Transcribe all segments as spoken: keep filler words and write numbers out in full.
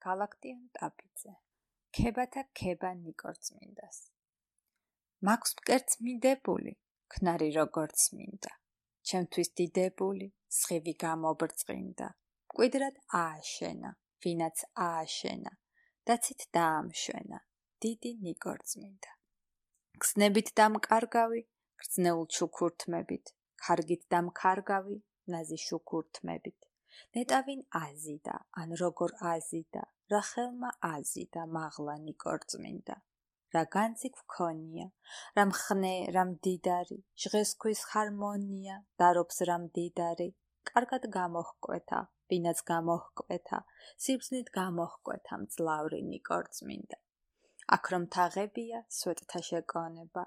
გალაქტიონ ტაბიძე. ქებათა ქება ნიკორწმინდას. მაქვს მკერდს მინდებული, ქნარი როგორც მინდა. ჩემთვის დიდებული, სხივი გამობრწყინდა. მკვიდრად ააშენა, ვინაც ააშენა, დაცით დაამშვენა, დიდი ნიკორწმინდა. გზნებით დამკარგავი, გრძნეულ ჩუქურთმებით, ქარგით დამქარგავი, ნაზი შუქურთმებით. ნეტავინ აზიდა, ან როგორ აზიდა, რა ხელმა აზიდა, მაღლა ნიკორწმინდა. რა განძი გვქონია, რა მხნე, რა მდიდარი, ჟღეს ქვის ჰარმონია, დარობს რა მდიდარი, კარგად გამოჰკვეთა, ვინაც გამოჰკვეთა, სიბრძნით გამოჰკვეთა მძლავრი ნიკორწმინდა. აქ რომ თაღებია, სვეტთა შეკონება,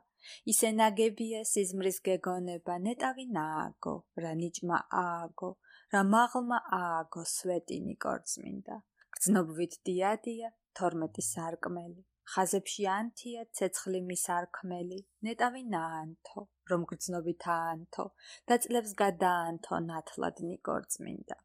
ისე ნაგებია სიზმრის გეგონება, ნეტავინ ააგო, რა ნიჭმა ააგო, რა მაღლმა ააგო სვეტი ნიკორწმინდა. გრძნობვით დიადია, თორმეტი სარკმელი, ხაზებში ანთია, ცეცხლი მის არქმელი, ნეტავინ აანთო, რომ გრძნობით აანთო, და წლებს გადაანთო ნათლად ნიკორწმინდა.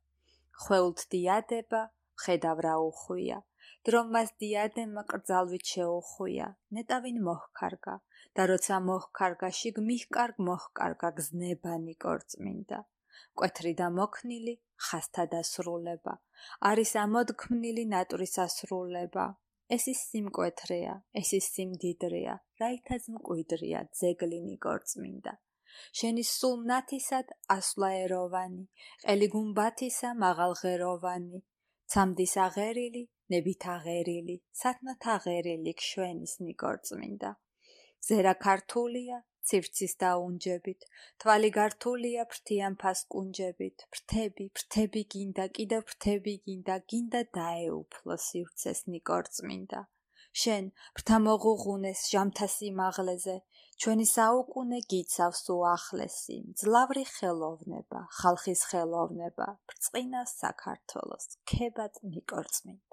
ხვეულთ დიადება, ხედავ რა უხვია, დრო მას დიადემა კრძალვით შეუხვია, ნეტავინ მოჰკარგა, და როცა მოჰკარგა, შიგ მიჰკარგ მოჰკარგა გზნება ნიკორწმინდა. მკვეთრი და მოქნილი, ხაზთა დასრულება, არის ამოდგმნილი ნატურის ასრულება. ეს ის სიმკვეთრეა, ეს ის სიმდიდრეა, რაითაც მკვიდრია ძეგლი ნიკორწმინდა. შენი სულ მნათისად ასვლა ეროვანი, ყელი გუმბათისა მაღალღეროვანი, ცამდის აღერილი, ნებით აღერილი, სათნოთ აღერილი გშვენის ნიკორწმინდა. ზერა ქართულია, ცივცის დაუნჯებით, თვალი გართულია ფრთიან ფასკუნჯებით, ფრთები, ფრთები გინდა, კიდევ ფრთები გინდა, გინდა დაეუფლო სივრცეს ნიკორწმინდა. შენ, ფრთა მოღუღუნეს ჟამთა სიმაღლეზე, ჩვენი საუკუნე გიცავს უახლესი, მძლავრი ხელოვნება, ხალხის ხელოვნება, ბრწყინავს საქართველოს, ქებად ნიკორწმინდა.